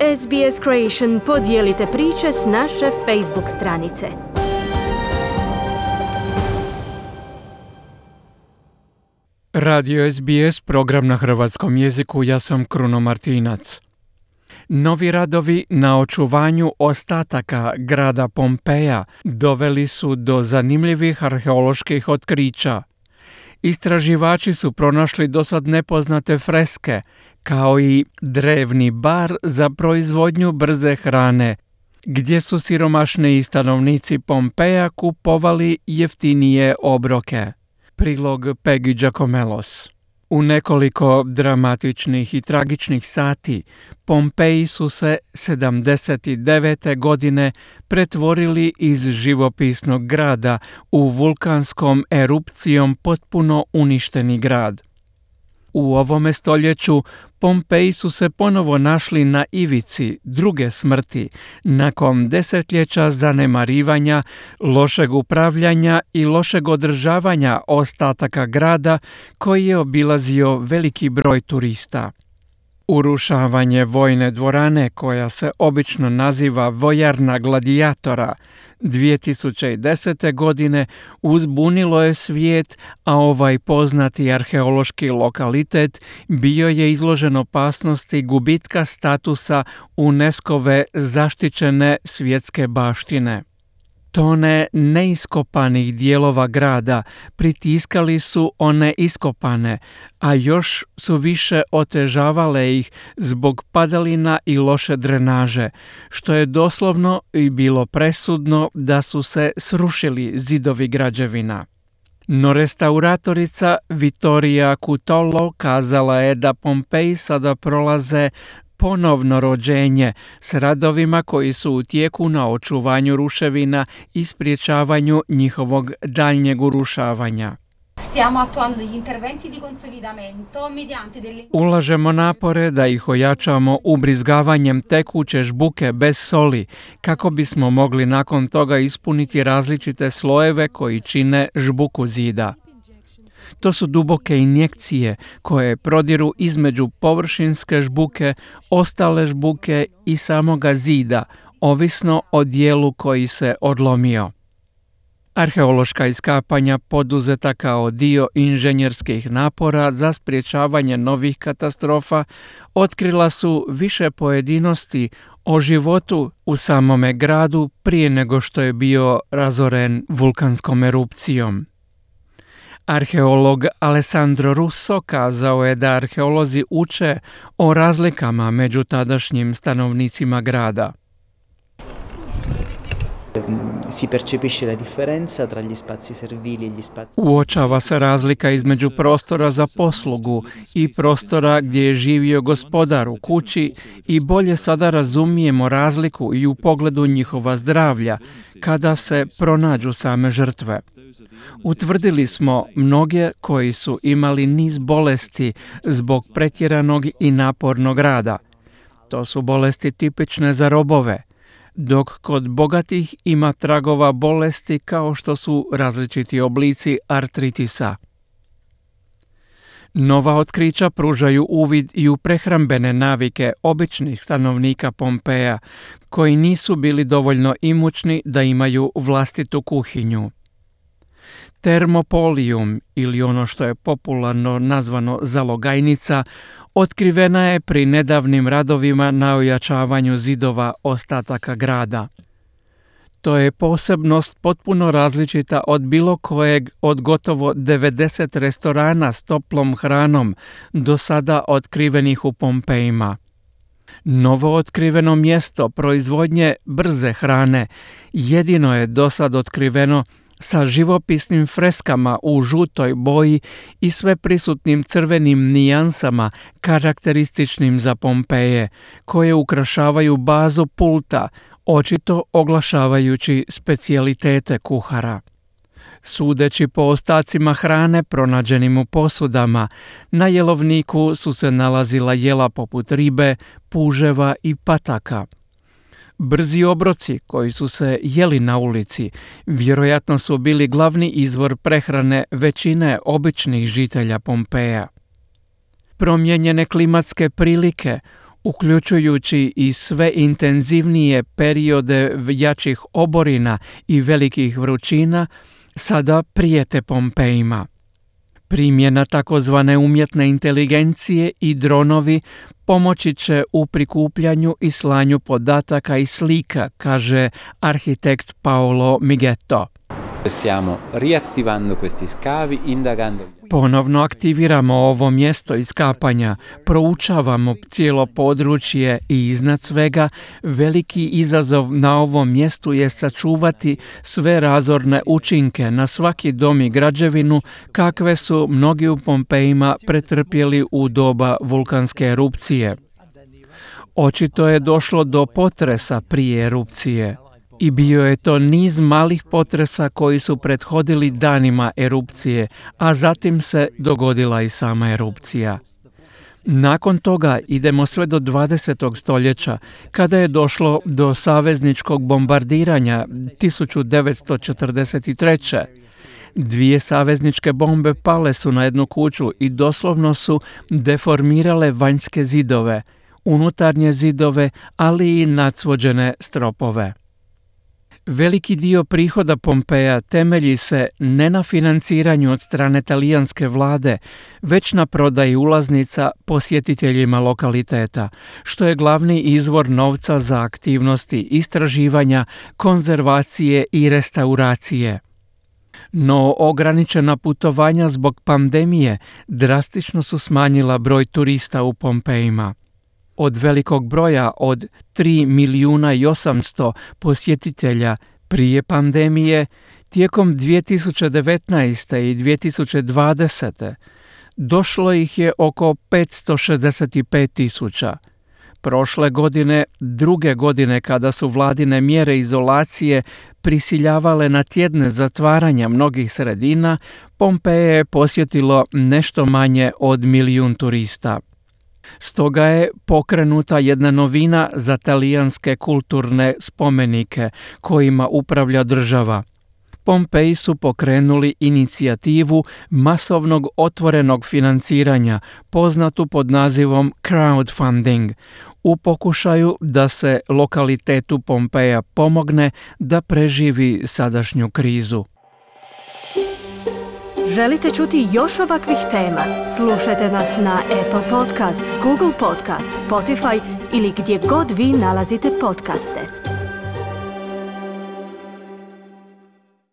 SBS Creation podijelite priče s naše Facebook stranice. Radio SBS, program na hrvatskom jeziku, ja sam Kruno Martinac. Novi radovi na očuvanju ostataka grada Pompeja doveli su do zanimljivih arheoloških otkrića. Istraživači su pronašli dosad nepoznate freske, kao i drevni bar za proizvodnju brze hrane, gdje su siromašniji stanovnici Pompeja kupovali jeftinije obroke. Prilog Peggy Giacomellos. U nekoliko dramatičnih i tragičnih sati Pompeji su se 79. godine pretvorili iz živopisnog grada u vulkanskom erupcijom potpuno uništeni grad. U ovome stoljeću Pompeji su se ponovo našli na ivici druge smrti nakon desetljeća zanemarivanja, lošeg upravljanja i lošeg održavanja ostataka grada koji je obilazio veliki broj turista. Urušavanje vojne dvorane, koja se obično naziva vojarna gladijatora, 2010. godine uzbunilo je svijet, a ovaj poznati arheološki lokalitet bio je izložen opasnosti gubitka statusa UNESCO-ve zaštićene svjetske baštine. Tone neiskopanih dijelova grada pritiskali su one iskopane, a još su više otežavale ih zbog padalina i loše drenaže, što je doslovno i bilo presudno da su se srušili zidovi građevina. No restauratorica Vittoria Cutolo kazala je da Pompeji sada prolaze ponovno rođenje s radovima koji su u tijeku na očuvanju ruševina i sprječavanju njihovog daljnjeg urušavanja. Ulažemo napore da ih ojačamo ubrizgavanjem tekuće žbuke bez soli, kako bismo mogli nakon toga ispuniti različite slojeve koji čine žbuku zida. To su duboke injekcije koje prodiru između površinske žbuke, ostale žbuke i samoga zida, ovisno o dijelu koji se odlomio. Arheološka iskapanja poduzeta kao dio inženjerskih napora za sprječavanje novih katastrofa otkrila su više pojedinosti o životu u samome gradu prije nego što je bio razoren vulkanskom erupcijom. Arheolog Alessandro Russo kazao je da arheolozi uče o razlikama među tadašnjim stanovnicima grada. Uočava se razlika između prostora za poslugu i prostora gdje je živio gospodar u kući i bolje sada razumijemo razliku i u pogledu njihova zdravlja kada se pronađu same žrtve. Utvrdili smo mnoge koji su imali niz bolesti zbog pretjeranog i napornog rada. To su bolesti tipične za robove, dok kod bogatih ima tragova bolesti kao što su različiti oblici artritisa. Nova otkrića pružaju uvid i u prehrambene navike običnih stanovnika Pompeja, koji nisu bili dovoljno imućni da imaju vlastitu kuhinju. Termopolium, ili ono što je popularno nazvano zalogajnica, otkrivena je pri nedavnim radovima na ojačavanju zidova ostataka grada. To je posebnost potpuno različita od bilo kojeg od gotovo 90 restorana s toplom hranom do sada otkrivenih u Pompejima. Novo otkriveno mjesto proizvodnje brze hrane jedino je dosad otkriveno sa živopisnim freskama u žutoj boji i sve prisutnim crvenim nijansama karakterističnim za Pompeje, koje ukrašavaju bazu pulta, očito oglašavajući specijalitete kuhara. Sudeći po ostacima hrane pronađenim u posudama, na jelovniku su se nalazila jela poput ribe, puževa i pataka. Brzi obroci koji su se jeli na ulici vjerojatno su bili glavni izvor prehrane većine običnih žitelja Pompeja. Promijenjene klimatske prilike uključujući i sve intenzivnije periode jačih oborina i velikih vrućina, sada prijete Pompejima. Primjena takozvane umjetne inteligencije i dronovi pomoći će u prikupljanju i slanju podataka i slika, kaže arhitekt Paolo Migetto. Stiamo riattivando questi scavi, indagando. Ponovno aktiviramo ovo mjesto iskapanja, proučavamo cijelo područje i iznad svega veliki izazov na ovom mjestu je sačuvati sve razorne učinke na svaki dom i građevinu kakve su mnogi u Pompejima pretrpjeli u doba vulkanske erupcije. Očito je došlo do potresa prije erupcije. I bio je to niz malih potresa koji su prethodili danima erupcije, a zatim se dogodila i sama erupcija. Nakon toga idemo sve do 20. stoljeća, kada je došlo do savezničkog bombardiranja 1943. 2 savezničke bombe pale su na jednu kuću i doslovno su deformirale vanjske zidove, unutarnje zidove, ali i nacvođene stropove. Veliki dio prihoda Pompeja temelji se ne na financiranju od strane talijanske vlade, već na prodaji ulaznica posjetiteljima lokaliteta, što je glavni izvor novca za aktivnosti istraživanja, konzervacije i restauracije. No ograničena putovanja zbog pandemije drastično su smanjila broj turista u Pompejima. Od velikog broja od 3.800.000 posjetitelja prije pandemije, tijekom 2019. i 2020. došlo ih je oko 565.000. Prošle godine, druge godine kada su vladine mjere izolacije prisiljavale na tjedne zatvaranja mnogih sredina, Pompeje je posjetilo nešto manje od 1 milijun turista. Stoga je pokrenuta jedna novina za talijanske kulturne spomenike kojima upravlja država. Pompeji su pokrenuli inicijativu masovnog otvorenog financiranja, poznatu pod nazivom crowdfunding, u pokušaju da se lokalitetu Pompeja pomogne da preživi sadašnju krizu. Želite čuti još ovakvih tema? Slušajte nas na Apple Podcast, Google Podcast, Spotify ili gdje god vi nalazite podcaste.